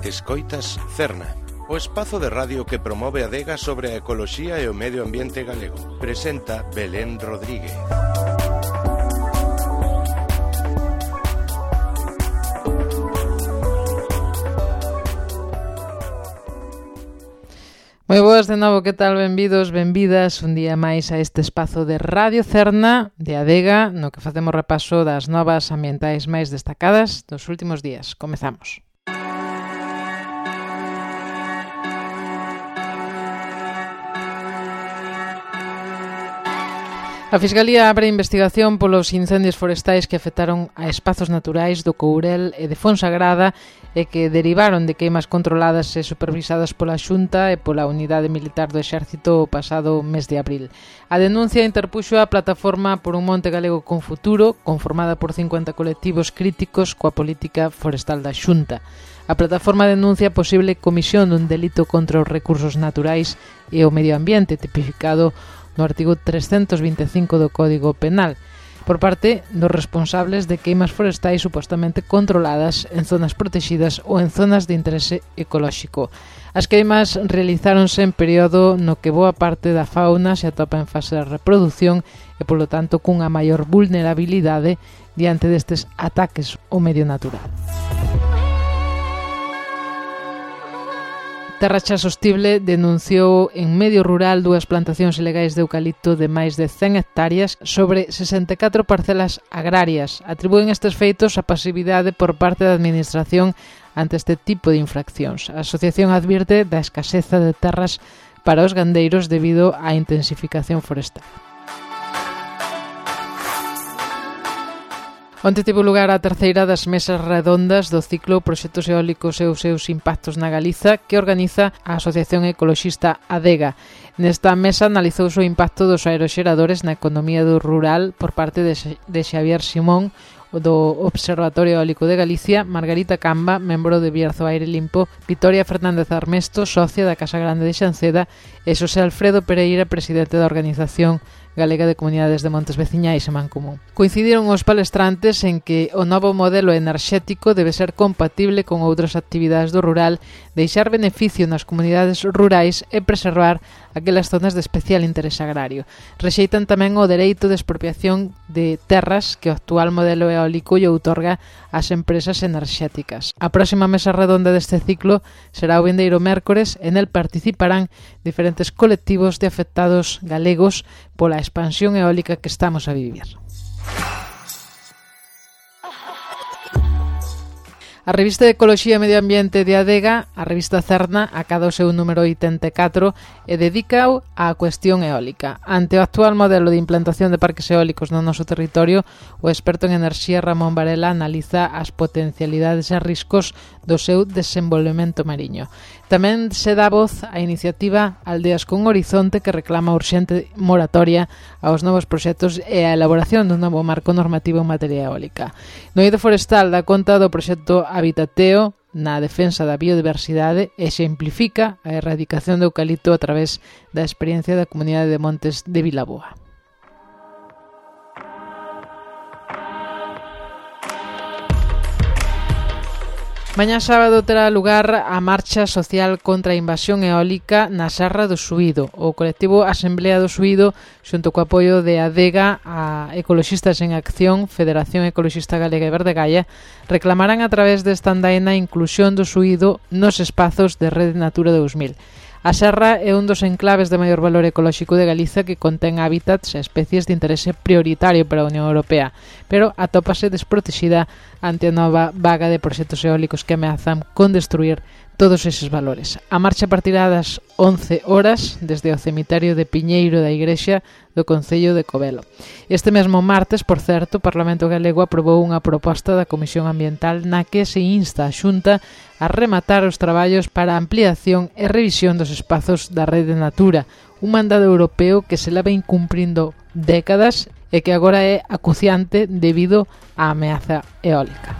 Escoitas Cerna, o espazo de radio que promove a adega sobre a ecoloxía e o medio ambiente galego. Presenta Belén Rodríguez. Moi boas de novo, que tal? Benvidos, benvidas un día máis a este espazo de Radio Cerna de Adega, no que facemos repaso das novas ambientais máis destacadas dos últimos días. Comezamos. A Fiscalía abre investigación polos incendios forestais que afectaron a espazos naturais do Courel e de Fonsagrada e que derivaron de queimas controladas e supervisadas pola Xunta e pola Unidade Militar do Exército o pasado mes de abril. A denuncia interpuxo a plataforma Por un Monte Galego con Futuro, conformada por 50 colectivos críticos coa política forestal da Xunta. A plataforma denuncia a posible comisión dun delito contra os recursos naturais e o medio ambiente, tipificado no artigo 325 do Código Penal, por parte dos responsables de queimas forestais supostamente controladas en zonas protegidas ou en zonas de interese ecolóxico. As queimas realizáronse en período no que boa parte da fauna se atopa en fase de reproducción e, polo tanto, cunha maior vulnerabilidade diante destes ataques ao medio natural. Terra Xa Sostible denunciou en medio rural dúas plantacións ilegais de eucalipto de máis de 100 hectáreas sobre 64 parcelas agrarias. Atribúen estes feitos a pasividade por parte da Administración ante este tipo de infraccións. A asociación advirte da escaseza de terras para os gandeiros debido á intensificación forestal. Onte tivo lugar a terceira das mesas redondas do ciclo Proxectos Eólicos e os seus impactos na Galiza que organiza a Asociación Ecoloxista Adega. Nesta mesa analizouse o impacto dos aeroxeradores na economía do rural por parte de Xavier Simón, do Observatorio Eólico de Galicia, Margarita Camba, membro de Bierzo Aire Limpo, Vitoria Fernández Armesto, socia da Casa Grande de Xanceda, e Xosé Alfredo Pereira, presidente da Organización Galega de Comunidades de Montes Veciñais e Mancomún. Coincidiron os palestrantes en que o novo modelo enerxético debe ser compatible con outras actividades do rural, deixar beneficio nas comunidades rurais e preservar aquelas zonas de especial interese agrario. Rexeitan tamén o dereito de expropiación de terras que o actual modelo eólico lle outorga ás empresas enerxéticas. A próxima mesa redonda deste ciclo será o vindeiro mércores e nel participarán diferentes colectivos de afectados galegos pola expansión eólica que estamos a vivir. A revista de Ecoloxía e Medio Ambiente de Adega, a revista Cerna, acada o seu número 84 e dedicao á cuestión eólica. Ante o actual modelo de implantación de parques eólicos no noso territorio, o experto en enerxía Ramón Varela analiza as potencialidades e riscos do seu desenvolvemento mariño. Tamén se dá voz á iniciativa Aldeas con Horizonte, que reclama urxente moratoria aos novos proxectos e a elaboración dun novo marco normativo en materia eólica. No eido forestal dá conta do proxecto Habitateo na defensa da biodiversidade e exemplifica a erradicación do eucalipto a través da experiencia da Comunidade de Montes de Vilaboa. Mañá sábado terá lugar a marcha social contra a invasión eólica na Serra do Suído. O colectivo Asemblea do Suído, xunto co apoio de Adega, a Ecoloxistas en Acción, Federación Ecoloxista Galega e Verdegalla, reclamarán a través desta andaina a inclusión do Suído nos espazos de Rede Natura 2000. A serra é un dos enclaves de maior valor ecolóxico de Galiza que contén hábitats e especies de interese prioritario para a Unión Europea, pero atópase desprotexida ante a nova vaga de proxectos eólicos que ameazan con destruir todos eses valores. A marcha partirá das 11 horas desde o cemiterio de Piñeiro da Igrexa do Concello de Covelo. Este mesmo martes, por certo, o Parlamento Galego aprobou unha proposta da Comisión Ambiental na que se insta a Xunta a rematar os traballos para a ampliación e revisión dos espazos da Rede Natura, un mandado europeo que se leva incumprindo décadas e que agora é acuciante debido á ameaza eólica.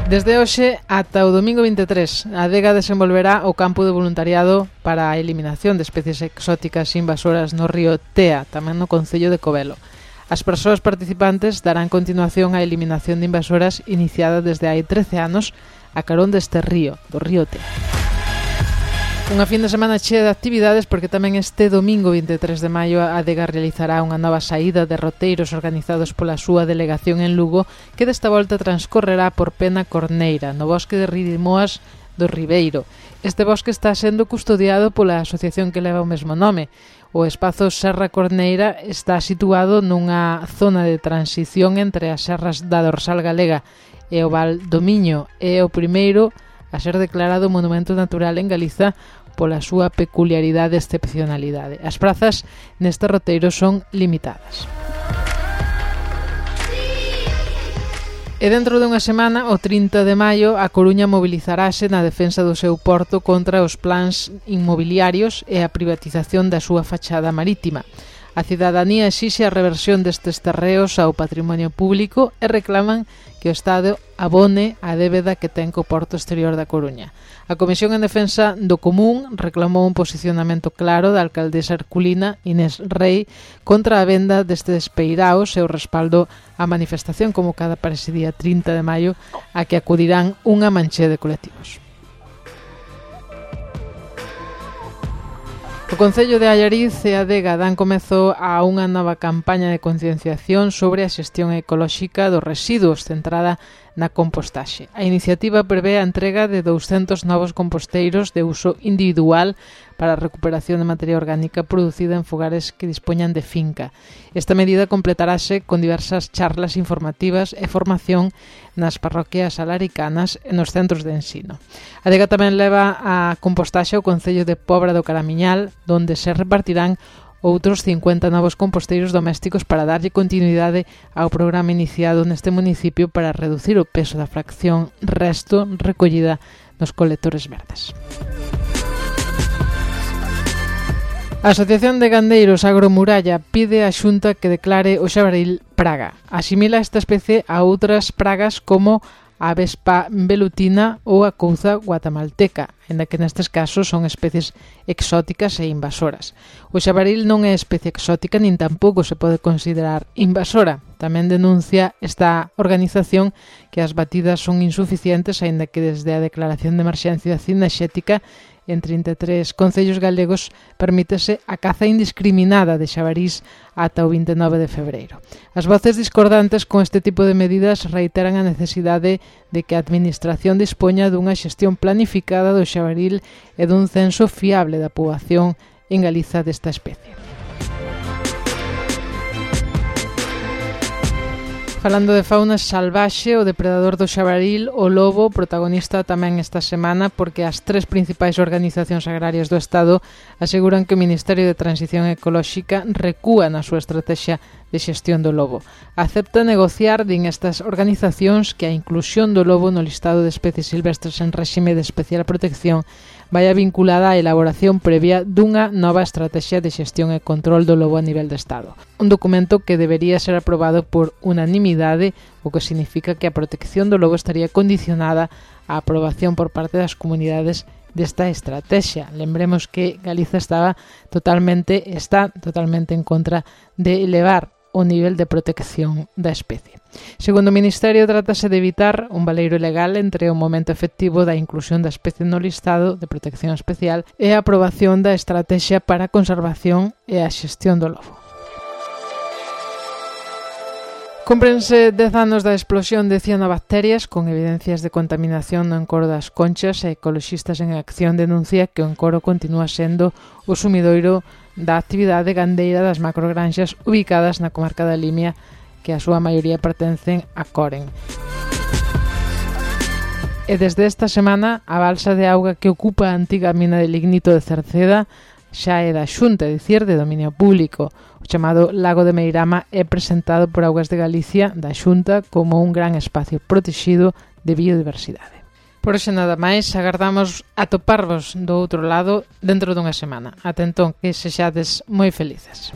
Desde hoxe ata o domingo 23, a Adega desenvolverá o campo de voluntariado para a eliminación de especies exóticas invasoras no río Tea, tamén no Concello de Covelo. As persoas participantes darán continuación á eliminación de invasoras iniciada desde hai 13 anos a carón deste río, do río Te. Unha fin de semana chea de actividades porque tamén este domingo 23 de maio a Adega realizará unha nova saída de roteiros organizados pola súa delegación en Lugo que desta volta transcorrerá por Pena Corneira, no bosque de Ridimoas do Ribeiro. Este bosque está sendo custodiado pola asociación que leva o mesmo nome. O espazo Serra Corneira está situado nunha zona de transición entre as serras da Dorsal Galega e o Val do Miño. É o primeiro a ser declarado monumento natural en Galiza pola súa peculiaridade e excepcionalidade. As prazas neste roteiro son limitadas. E dentro dunha semana, o 30 de maio, a Coruña mobilizarase na defensa do seu porto contra os plans inmobiliarios e a privatización da súa fachada marítima. A cidadanía exixe a reversión destes terreos ao patrimonio público e reclaman que o Estado abone a débeda que ten co porto exterior da Coruña. A Comisión en Defensa do Común reclamou un posicionamento claro da alcaldesa herculina Inés Rei contra a venda destes peiraos e o respaldo á manifestación convocada para ese día 30 de maio a que acudirán unha manche de colectivos. O Concello de Allariz e a Adega dan comezo a unha nova campaña de concienciación sobre a xestión ecolóxica dos residuos centrada na compostaxe. A iniciativa prevé a entrega de 200 novos composteiros de uso individual para a recuperación de materia orgánica producida en fogares que dispoñan de finca. Esta medida completarase con diversas charlas informativas e formación nas parroquias alaricanas e nos centros de ensino. A Adega tamén leva a compostaxe ao Concello de Pobra do Caramiñal, donde se repartirán outros 50 novos composteiros domésticos para darlle continuidade ao programa iniciado neste municipio para reducir o peso da fracción resto recollida nos colectores verdes. A Asociación de Gandeiros Agromuralla pide á Xunta que declare o xabaril praga. Asimila esta especie a outras pragas como a vespa velutina ou a couza guatemalteca, ainda que nestes casos son especies exóticas e invasoras. O xabaril non é especie exótica nin tampouco se pode considerar invasora. Tamén denuncia esta organización que as batidas son insuficientes, aínda que desde a declaración de emerxencia cinexética en 33 concellos galegos permítese a caza indiscriminada de xabarís ata o 29 de febreiro. As voces discordantes con este tipo de medidas reiteran a necesidade de que a Administración dispoña dunha xestión planificada do xabaril e dun censo fiable da poboación en Galiza desta especie. Falando de fauna salvaxe, o depredador do xabaril, o lobo, protagonista tamén esta semana porque as tres principais organizacións agrarias do Estado aseguran que o Ministerio de Transición Ecolóxica recúa na súa estrategia de xestión do lobo. Acepta negociar, din estas organizacións, que a inclusión do lobo no listado de especies silvestres en réxime de especial protección vai vinculada á elaboración previa dunha nova estrategia de xestión e control do lobo a nivel de Estado. Un documento que debería ser aprobado por unanimidade, o que significa que a protección do lobo estaría condicionada á aprobación por parte das comunidades desta estrategia. Lembremos que Galiza está totalmente en contra de elevar o nivel de protección da especie. Segundo o Ministerio, trátase de evitar un baleiro legal entre o momento efectivo da inclusión da especie no listado de protección especial e a aprobación da estrategia para a conservación e a xestión do lobo. Cúmprense 10 anos da explosión de cianobacterias con evidencias de contaminación no encoro das Conchas e Ecoloxistas en Acción denuncia que o encoro continúa sendo o sumidoiro da actividade gandeira das macrogranxas ubicadas na comarca da Limia, que a súa maioría pertencen a Coren. E desde esta semana, a balsa de auga que ocupa a antiga mina de lignito de Cerceda xa é da Xunta, é dicir, de dominio público. O chamado Lago de Meirama é presentado por Augas de Galicia da Xunta como un gran espacio protegido de biodiversidade. Por hoxe nada máis, agardamos atoparvos do outro lado dentro dunha semana. Ata entón, que sexades moi felices.